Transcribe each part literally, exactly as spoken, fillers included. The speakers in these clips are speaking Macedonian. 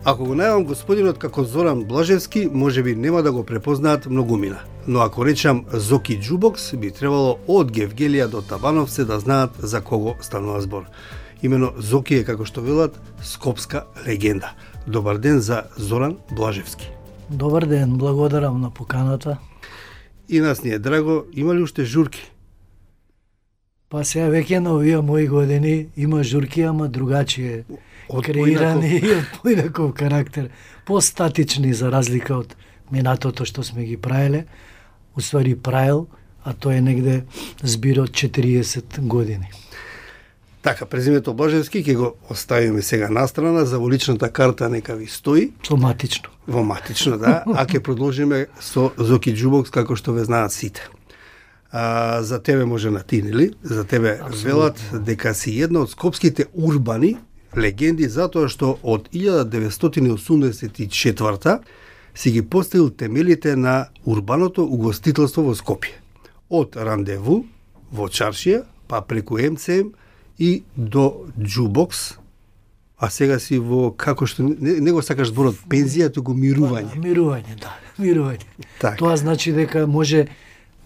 Ако го најавам господинот како Зоран Блажевски, можеби нема да го препознаат многумина. Но ако речам Зоки Џубокс, би требало од Гевгелија до Табановце да знаат за кого станува збор. Имено Зоки е, како што велат, скопска легенда. Добар ден за Зоран Блажевски. Добар ден, благодарам на поканата. И нас ни е драго, има ли уште журки? Па сега веќе на овие мои години има журки, ама другачие Од креирани и од поинаков карактер, постатични за разлика од минатото што сме ги правеле, уствари правил, а тоа е негде збир од четириесет години. Така, презимето Блажевски ќе го оставиме сега настрана, за во личната карта нека ви стои. Соматично. Во матично, да, а ќе продолжиме со Зоки Џубокс, како што ве знаат сите. А, за тебе може на ти, нели? За тебе Абсолютно. Велат дека си една од скопските урбани легенди, затоа што од илјада деветстотини осумдесет и четврта си ги поставил темелите на урбаното угостителство во Скопје. Од Рандеву во Чаршија, па преку Ем Це Ем и до Џубокс, а сега си во, како што, не, не го сакаш зборот пензија, туку мирување. Мирување, да, мирување. Так. Тоа значи дека може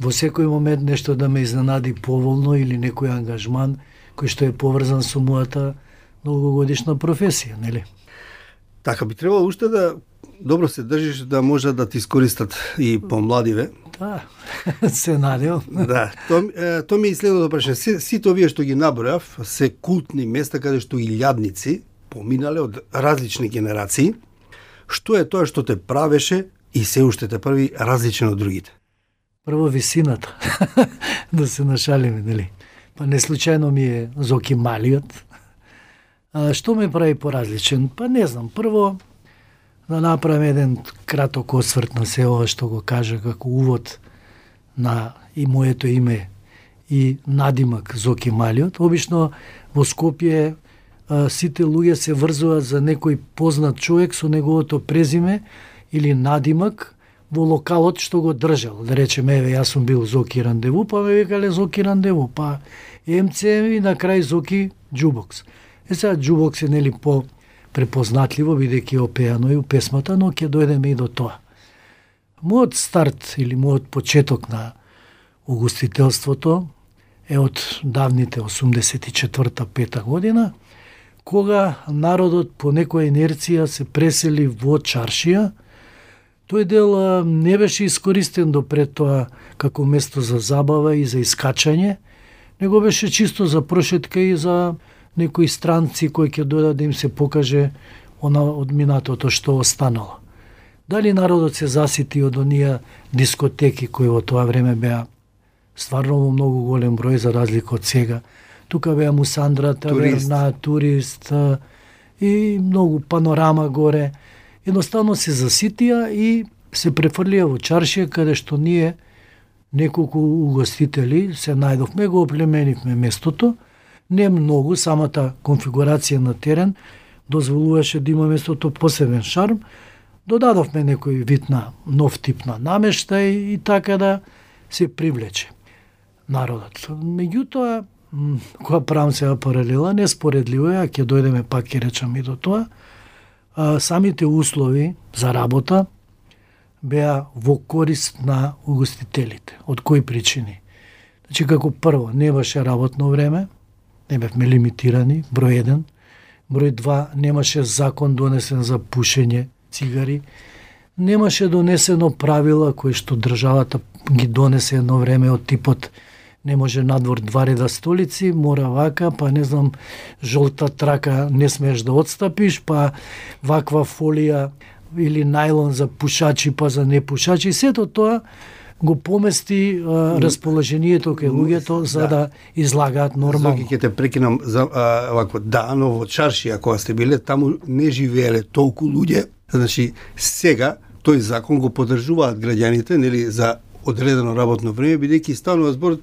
во секој момент нешто да ме изненади поволно или некој ангажман кој што е поврзан со мојата многогодишна професија, нели? Така, би требало уште да добро се држиш, да може да ти искористат и помладиве. Да, се надевам. Да, то, е, то ми е следното прашање. Си, сите овие што ги набројав се култни места каде што илјадници поминале од различни генерации. Што е тоа што те правеше и се уште те прави различен од другите? Прво висината, да се нашалиме, нели? Па не случајно ми е Зоки Малиот. А, што ме прави поразличен? Па не знам, прво да направим еден краток осврт на се ова што го кажа како увод на и моето име и надимак Зоки Малиот. Обично во Скопје а, сите луѓе се врзуваат за некој познат човек со неговото презиме или надимак во локалот што го држал. Да речеме, еве, јас сум бил Зоки Рандеву, па ме викале Зоки Рандеву, па Ем Це Ем и на крај Зоки Џубокс. Е сега Џубокс е нели по препознатливо, бидејќи е опеано и у песмата, но ќе дојдеме и до тоа. Мојот старт или мојот почеток на угостителството е од давните осумдесет и четврта пета година, кога народот по некоја инерција се пресели во Чаршија. Тој дел а, не беше искористен допред тоа како место за забава и за искачање, него беше чисто за прошетка и за некои странци кои ќе дојдат да им се покаже она од минатото што останало. Дали народот се засити од оние дискотеки кои во тоа време беа стварно во многу голем број за разлика од сега. Тука беа Мусандра, Таверна, Турист и многу Панорама горе. Едноставно се заситија и се префрлија во Чаршија, каде што ние неколку угостители се најдовме, го оплеменивме местото. Не многу, самата конфигурација на терен дозволуваше да има местото посебен шарм. Додадовме некој вид на нов тип на намештај и така да се привлече народот. Меѓутоа, кога правам сега паралела, неспоредливо е, а ќе дојдеме пак ќе речам и до тоа, а, самите услови за работа беа во корист на угостителите. Од кои причини? Значи, како прво, не беше работно време, не бевме лимитирани, број еден. Број два, немаше закон донесен за пушење цигари. Немаше донесено правила кои што државата ги донесе едно време од типот не може надвор два реда столици, мора вака, па не знам, жолта трака не смееш да отстапиш, па ваква фолија или најлон за пушачи, па за непушачи. Сето тоа го помести а, расположението кај луѓето за да, да излагаат нормално. Зоки, ќе те прекинам за а, вако, да, но во Чаршија кога сте биле, таму не живееле толку луѓе. Значи, сега тој закон го поддржуваат граѓаните, нели, за одредено работно време, бидејќи станува збор,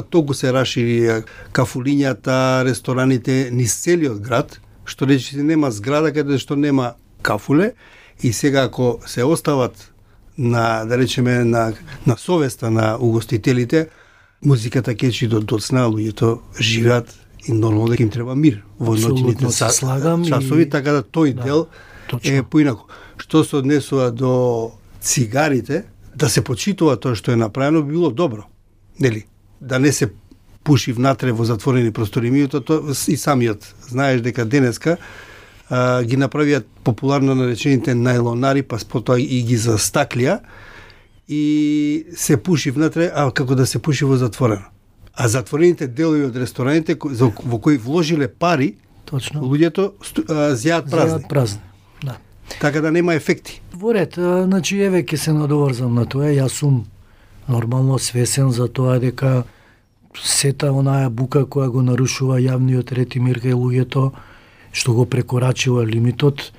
толку се рашири кафулињата, рестораните низ целиот град, што речи нема зграда каде што нема кафуле, и сега ако се остават на, да речеме, на, на совеста на угостителите, музиката кечи до доцна, луѓето живеат и нормално дека им треба мир во ноќните часови, и... така да тој да. дел точно. Е, поинаку, што се однесува до цигарите, да се почитува тоа што е направено, би било добро. Нели? Да не се пуши внатре во затворени простори. Меѓутоа, тоа и самиот знаеш дека денеска а, ги направиат популарно наречените најлонари, па потоа и ги застаклија и се пуши внатре, а како да се пуши во затворено. А затворените делови од рестораните во кои вложиле пари, точно, луѓето зјаат празни. Зјаат празни. Да. Така да нема ефекти. Во ред, значи еве ќе се надоврзам на тоа. Јас сум нормално свесен за тоа дека сета онаа бука која го нарушува јавниот ред и мир кај луѓето, што го прекорачува лимитот,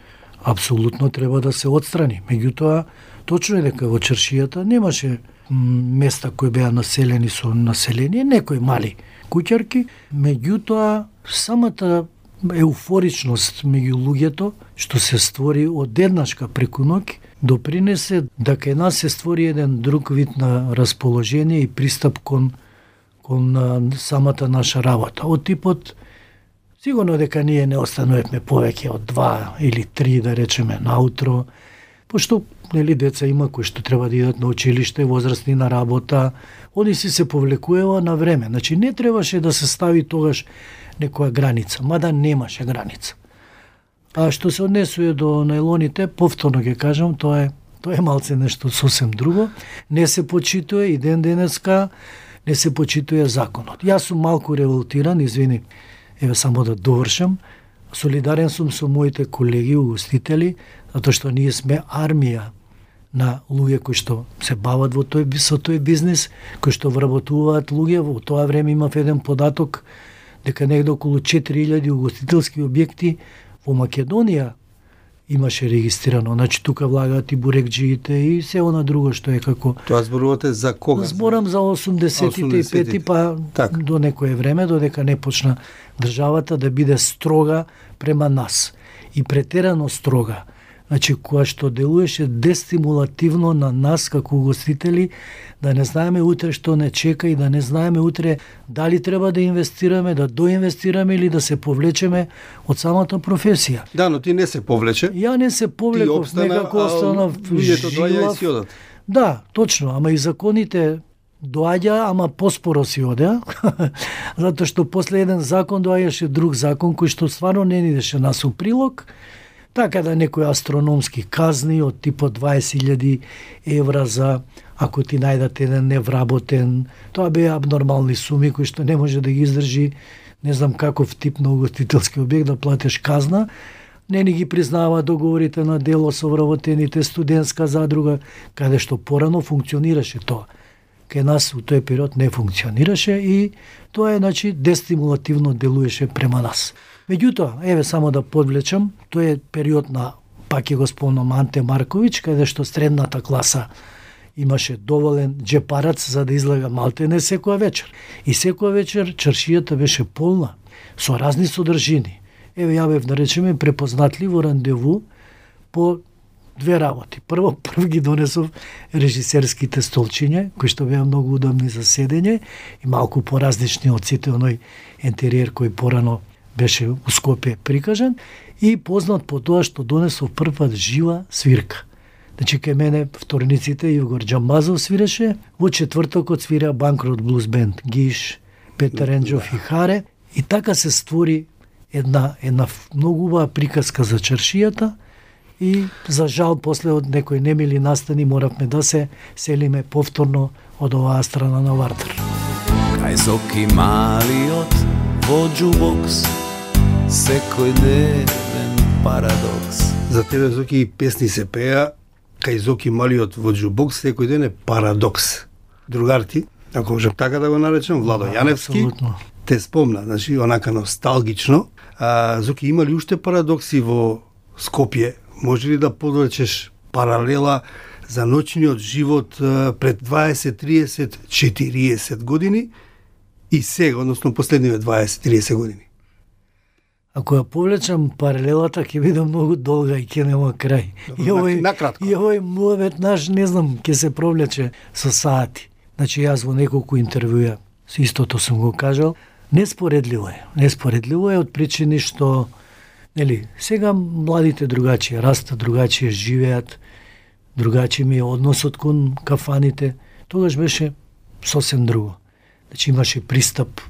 апсолутно треба да се отстрани. Меѓутоа, точно е дека во чаршијата немаше места кои беа населени со население, некои мали куќарки, меѓутоа самата еуфоричност меѓу луѓето што се створи одеднашка преку ноќ допринесе да кај нас се створи еден друг вид на расположение и пристап кон кон самата наша работа. Од типот, сигурно дека ние не остануваме повеќе од два или три, да речеме, наутро, пошто нели деца има кои што треба да идат на училиште, возрастни на работа, они си се повлекуваа на време. Значи не требаше да се стави тогаш некоја граница, мада немаше граница. А што се однесува до најлоните, повторно ќе кажам, тоа е тоа е малце нешто сосем друго. Не се почитува и ден денеска не се почитува законот. Јас сум малку револтиран, извини, еве само да довршам. Солидарен сум со моите колеги угостители, затоа што ние сме армија на луѓе кои што се бават во тој со тој бизнис, кои што вработуваат луѓе. Во тоа време имав еден податок дека негде околу четири илјади угостителски објекти во Македонија имаше регистрирано. Значи тука влагаат и бурекџиите и се она друго што е како. Тоа зборувате за кога? Зборам за осумдесетите и пети, па так. До некое време, додека не почна државата да биде строга према нас. И претерано строга. Значи, која што делуваше дестимулативно на нас како угостители, да не знаеме утре што не чека и да не знаеме утре дали треба да инвестираме, да доинвестираме или да се повлечеме од самата професија. Да, но ти не се повлече. Ја не се повлеков, некако останав жилав. Да, точно, ама и законите доаѓа, ама поспоро си одеа, затоа што после еден закон доаѓаше друг закон кој што стварно не ни идеше нас у прилог. Така да некои астрономски казни од типот дваесет илјади евра за ако ти најдат еден невработен, тоа беа абнормални суми кои што не може да ги издржи не знам каков тип на угостителски објект да платиш казна. Не ни ги признава договорите на дело со вработените, студентска задруга, каде што порано функционираше тоа. Кај нас у тој период не функционираше и тоа е, значи, дестимулативно делуеше према нас. Меѓутоа, еве само да подвлечам, тој е период на, пак ќе го спомнам, Анте Марковиќ, каде што средната класа имаше доволен джепарац за да излага малтене секоја вечер. И секоја вечер чаршијата беше полна, со разни содржини. Еве ја бев, да речеме, препознатливо рандеву по две работи. Прво, прв ги донесов режисерските столчиња, кои што беа многу удобни за седење и малку поразлични од сите оној интериер кој порано беше у Скопје прикажан, и познат по тоа што донесов прв пат жива свирка. Значи, кај мене вторниците Ивгор Џамбазов свиреше, во четвртокот свира Банкрот Блуз Бенд, Гиш, Петар Енџов и Харе, и така се створи една, една многу убава приказка за чаршијата, и за жал после од некои немили настани моравме да се селиме повторно од оваа страна на Вардар. Кај Зоки малиот во џубокс, секој ден парадокс. За тебе, Зоки, песни се пеа, кај Зоки малиот во џубокс, секој ден е парадокс. Другар ти, ако можем така да го наречем, Владо Јаневски, Абсолютно. те спомна, значи, онака носталгично. А, Зоки, има ли уште парадокси во Скопје? Може ли да подречеш паралела за ноќниот живот пред дваесет, триесет, четириесет години и сега, односно последниве дваесет, триесет години? Ако ја повлечам паралелата, ќе биде многу долга и ќе нема крај. Добро, и овој, накратко. и овој муавет наш, не знам, ќе се провлече со сати. Значи, јас во неколку интервјуа истото сум го кажал. Неспоредливо е. Неспоредливо е од причини што Нели, сега младите другачие растат, другачие живеат, другачи ми е односот кон кафаните. Тогаш беше сосем друго. Значи имаше пристап,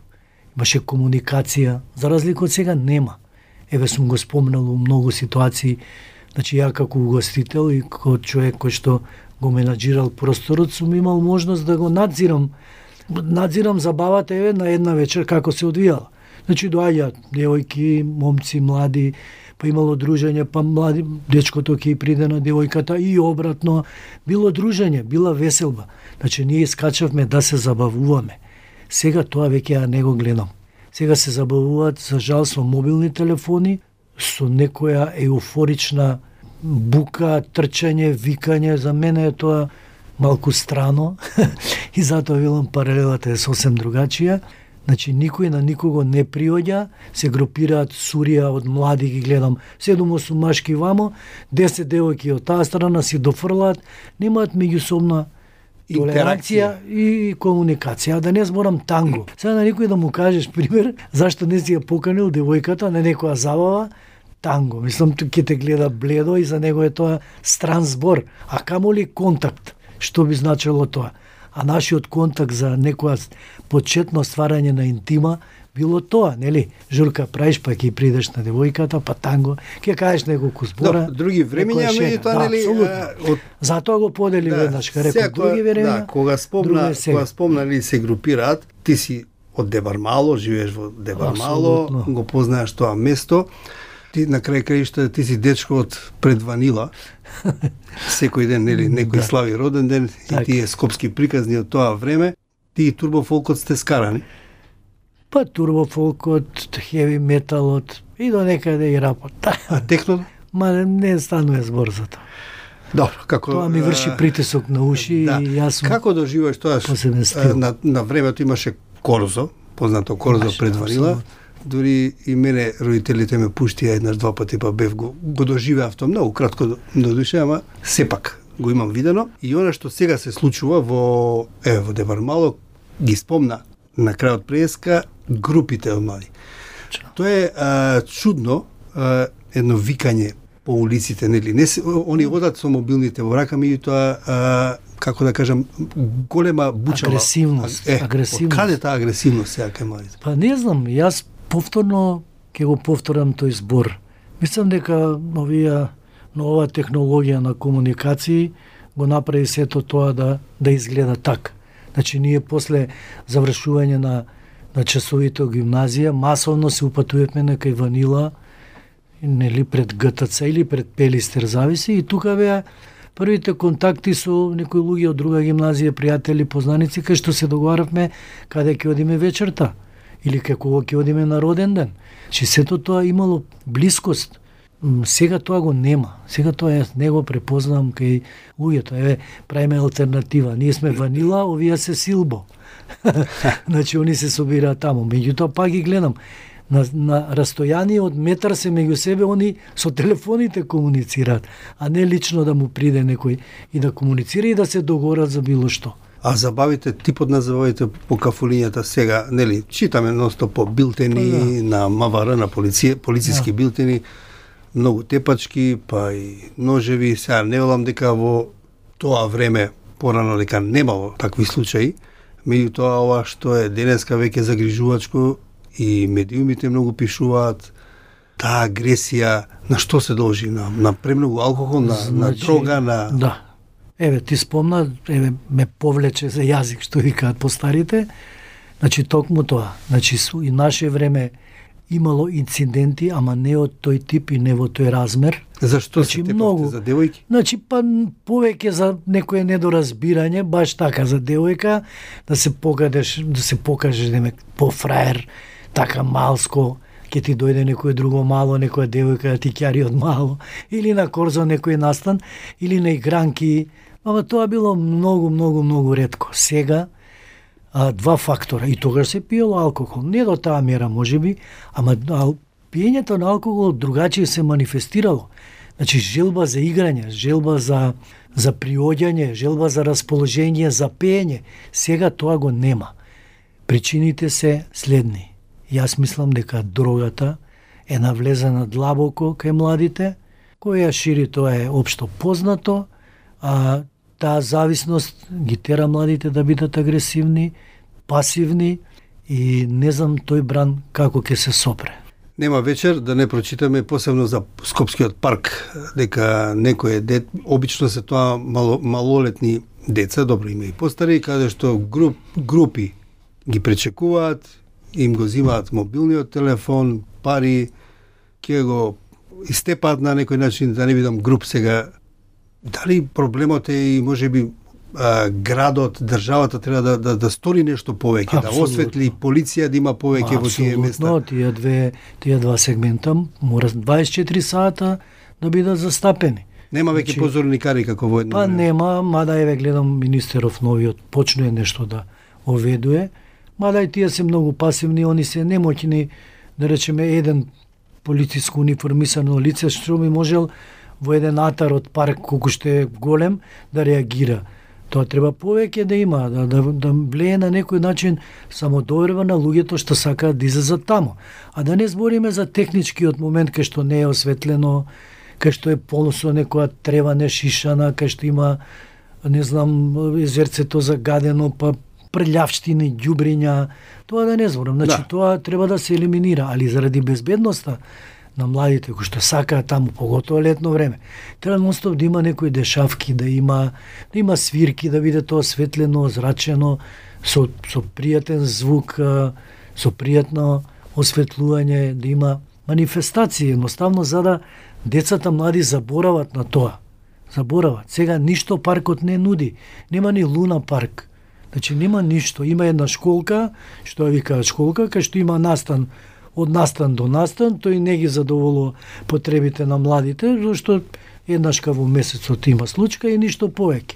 имаше комуникација, за разлика од сега нема. Еве сум го спомнал у многу ситуации, значи ја како угостител и како човек кој што го менаџирал просторот, сум имал можност да го надзирам, надзирам забавата еве на една вечер како се одвијала. Значи доаѓаат девојки, момци, млади, па имало дружење, па млади дечкото ќе приде на девојката и обратно. Било дружење, била веселба. Значи ние искачавме да се забавуваме. Сега тоа веќе ја не го гледам. Сега се забавуваат, за жал, со мобилни телефони, со некоја еуфорична бука, трчање, викање. За мене е тоа малку страно и затоа велам паралелата е сосем другачија. Значи, никој на никого не приоѓа, се групираат сурија од млади, ги гледам, седум-осум машки вамо, десет девојки од таа страна си дофрлаат, немаат меѓусобна толеранција и комуникација, да не зборам танго. Сега на никој да му кажеш пример, зашто не си ја поканил девојката на некоја забава, танго. Мислам, ќе те гледа бледо и за него е тоа стран збор, а камоли контакт, што би значило тоа? А нашиот контакт за некоја почетно стварање на интима било тоа, нели? Журка правиш, па ќе придеш на девојката, па танго, ќе кажеш неколку збора. Да, други времења, меѓутоа, нели, од... затоа го подели да, веднаш, ка рекол, други времења. Да, кога спомна, кога спомна, нели, се групираат, ти си од Дебармало, живееш во Дебармало, го познаеш тоа место. Ти на крај краишта ти си дечко од пред Ванила. Секој ден, нели, некој да. Слави роден ден так. И тие скопски приказни од тоа време. Ти и турбофолкот сте скарани? Па турбофолкот, хеви металот и до некаде и рапот. А техно? Ма не станува збор за тоа. Добро, како тоа ми врши притисок на уши да. И јас сум. Како доживуваш тоа? На на времето имаше Корзо, познато Корзо имаше, пред Ванила. Дури и мене родителите ме пуштија еднаш два пати, па бев го, го доживеав тоа многу кратко до душе, ама сепак го имам видено. И она што сега се случува во е во Дебармало, ги спомна на крајот преска групите од млади. Тоа е а, чудно, а, едно викање по улиците, нели? Не се, они одат со мобилните во рака, меѓутоа како да кажам, голема бучава агресивност, е, агресивност. Од каде таа агресивност сега кај младите? Па не знам, јас повторно ќе го повторам тој збор. Мислам дека овие нова технологија на комуникации го направи сето тоа да да изгледа така. Значи ние после завршување на на часовите од гимназија масовно се упатувавме на кај Ванила, нели пред ГТЦ или пред Пелистер, зависи, и тука беа првите контакти со некои луѓе од друга гимназија, пријатели, познаници, кај што се договаравме каде ќе одиме вечерта или како ќе одиме на роден ден. Че сето тоа имало блискост. Сега тоа го нема. Сега тоа јас не го препознавам кај луѓето. Еве, правиме алтернатива. Ние сме Ванила, овие се Силбо. Значи, они се собираат таму. Меѓутоа, пак ги гледам. На, на растојание од метар се меѓу себе, они со телефоните комуницираат, а не лично да му приде некој и да комуницира и да се договорат за било што. А забавите, типот на забавите по кафулињата сега, нели, читаме носто по билтени па, да. На МВР, на полиција, полициски да. Билтени, многу тепачки, па и ножеви. Сега не велам дека во тоа време порано дека немало такви случаи, меѓутоа ова што е денеска веќе загрижувачко и медиумите многу пишуваат, таа агресија на што се должи? На, на премногу алкохол, на, значи, на дрога, на... Да. Еве, ти спомна, еве, ме повлече за јазик, што викаат постарите. Значи, токму тоа. Значи, и наше време имало инциденти, ама не од тој тип и не во тој размер. Зашто значи, се тепавте за девојки? Значи, па повеќе за некое недоразбирање, баш така за девојка, да се покажеш, да се покажеш да ме по-фраер, така малско, ќе ти дојде некој друго мало, некоја девојка да ти ќари од мало, или на Корзо некој настан, или на игранки, ама тоа било многу, многу, многу ретко. Сега, а, два фактора, и тогаш се пиело алкохол, не до таа мера можеби, ама ал, пиењето на алкохол другачие се манифестирало. Значи, желба за играње, желба за, за приоѓање, желба за расположение, за пеење, сега тоа го нема. Причините се следни. Јас мислам дека дрогата е навлезена длабоко кај младите, која шири тоа е општо познато, а таа зависност ги тера младите да бидат агресивни, пасивни и не знам тој бран како ќе се сопре. Нема вечер да не прочитаме посебно за Скопскиот парк, дека некој дет, обично се тоа мало, малолетни деца, добро има и постари, каде што груп, групи ги пречекуваат, им го зимаат мобилниот телефон, пари, ќе го истепаат на некој начин, да не видам груп сега. Дали проблемот е и можеби а, градот, државата треба да, да, да стори нешто повеќе, да осветли, полиција да има повеќе во тие места? Апсолутно, тие две, тие два сегмента мора дваесет и четири сата да бидат застапени. Нема веќе значи, позорникари како во едно Па време. нема, мада еве гледам министеров новиот почнува нешто да оведуе, мада и тие се многу пасивни, они се немоќни, да речеме еден полициско униформисано лице што ми можел во еден атар од парк колку што е голем да реагира. Тоа треба повеќе да има, да, да, да влие на некој начин самодоверба на луѓето што сакаат да излезат таму. А да не збориме за техничкиот момент кај што не е осветлено, кај што е полно со некоја трева нешишана, кај што има, не знам, езерцето загадено, па прљавштини, ѓубриња, тоа да не зборам. Значи, да. Тоа треба да се елиминира, али заради безбедноста на младите кои што сакаат таму, поготово летно време, треба нонстоп да има некои дешавки, да има да има свирки, да биде тоа осветлено, зрачено, со со пријатен звук, со пријатно осветлување, да има манифестации, едноставно за да децата млади заборават на тоа. Заборават. Сега ништо паркот не нуди. Нема ни Луна парк. Значи нема ништо. Има една школка, што ја викаат школка, кај што има настан од настан до настан, тој не ги задоволува потребите на младите, зашто еднашка во месецот има случка и ништо повеќе.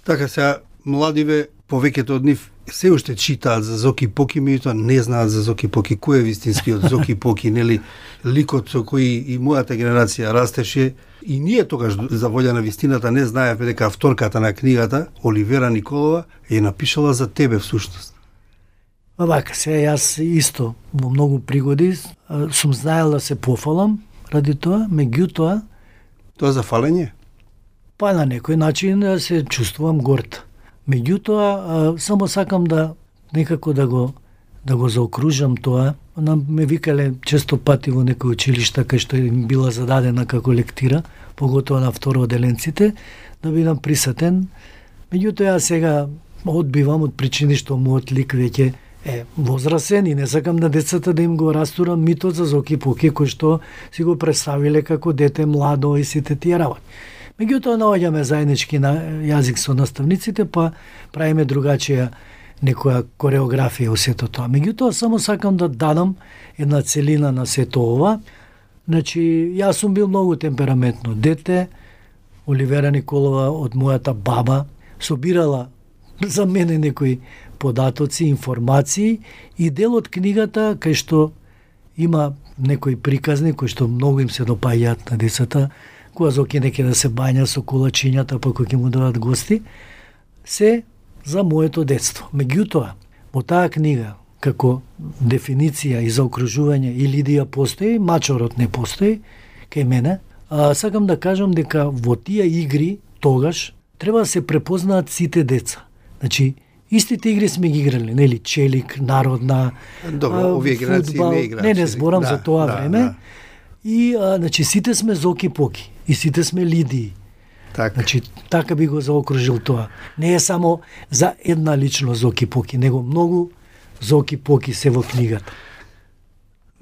Така сега, младиве, повеќето од нив се уште читаат за Зоки Поки, меѓутоа не знаат за Зоки Поки. Кој е вистинскиот Зоки Поки, нели? Ликот со кој и мојата генерација растеше, и ние тогаш за волја на вистината не знаевме дека авторката на книгата, Оливера Николова, е напишала за тебе всушност. Па вака, сега јас исто во многу пригоди сум знаел да се пофалам ради тоа, меѓутоа Тоа за фалење? Па на некој начин се чувствувам горд. Меѓутоа, само сакам да некако да го да го заокружам тоа. Ме викале често пати во некои училишта кај што им била зададена како лектира, поготово на второделенците, да бидам присатен. Меѓутоа, јас сега одбивам од причини што мојот лик веќе е возрасен и не сакам на децата да им го растурам митот за Зоки Поки, кој што си го представиле како дете младо и сите тие работи. Меѓутоа, наоѓаме заеднички на јазик со наставниците, па правиме другачија некоја кореографија во сето тоа. Меѓутоа, само сакам да дадам една целина на сето ова. Значи, јас сум бил многу темпераментно дете, Оливера Николова од мојата баба собирала за мене некои податоци, информации и дел од книгата кај што има некои приказни кои што многу им се допаѓаат на децата, кога Зоки неке да се бања со кулачињата, па кои ќе му дадат гости, се за моето детство. Меѓутоа, во таа книга, како дефиниција и заокружување, и Лидија постои, мачорот не постои, кај мене, а, сакам да кажам дека во тие игри, тогаш, треба да се препознаат сите деца. Значи, истите игри сме ги играли, нели, челик, народна, Добро, овие генерации не играат. Не, не зборам да, за тоа да, време. Да. И, а, значи, сите сме Зоки Поки, и сите сме Лидии. Так. Значи, така би го заокружил тоа. Не е само за една лично Зоки Поки, него многу Зоки Поки се во книгата.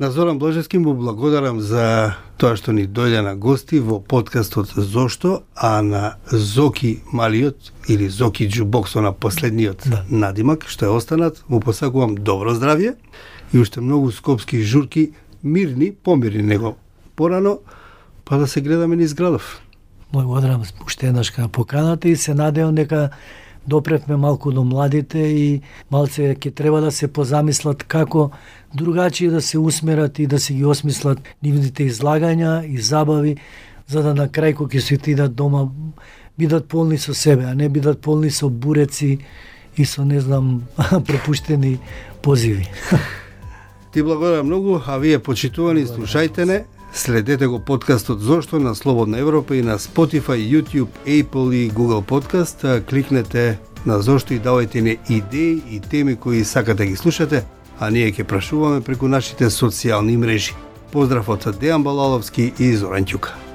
На Зоран Блажевски му благодарам за тоа што ни дојде на гости во подкастот Зошто, а на Зоки Малиот или Зоки Џубоксо на последниот да. надимак, што е останат, му посакувам добро здравје и уште многу скопски журки, мирни, помирни него порано, па да се гледаме низ градов. Благодарам уште еднаш на поканата и се надевам дека допревме малку до младите и малце ќе треба да се позамислат како другачи да се усмерат и да се ги осмислат нивните излагања и забави, за да на крај кога ќе се отидат дома бидат полни со себе, а не бидат полни со буреци и со, не знам, пропуштени позиви. Ти благодарам многу, а вие почитувани слушајте не, следете го подкастот Зошто на Слободна Европа и на Spotify, YouTube, Apple и Google Podcast. Кликнете на Зошто и давајте ни идеи и теми кои сакате ги слушате, а ние ќе прашуваме преку нашите социјални мрежи. Поздрав од Дејан Балаловски и Зоран Ќука.